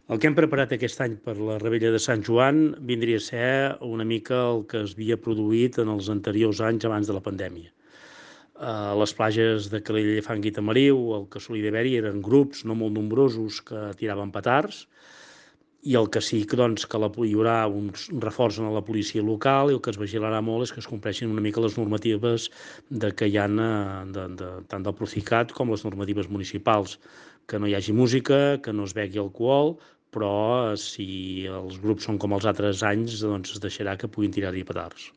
El que hem preparat aquest any per la Revetlla de Sant Joan vindria a ser una mica el que es havia produït en els anteriors anys abans de la pandèmia. A les platges de Calella de Fang i Tamariu, el que solia haver-hi eren grups no molt nombrosos que tiraven petards, i el que sí que, doncs, que hi haurà un reforç en la policia local, i el que es vigilarà molt és que es compleixin una mica les normatives que hi ha tant del Procicat com les normatives municipals, que no hi hagi música, que no es begui alcohol, però si els grups són com els altres anys, doncs es deixarà que puguin tirar-hi petards.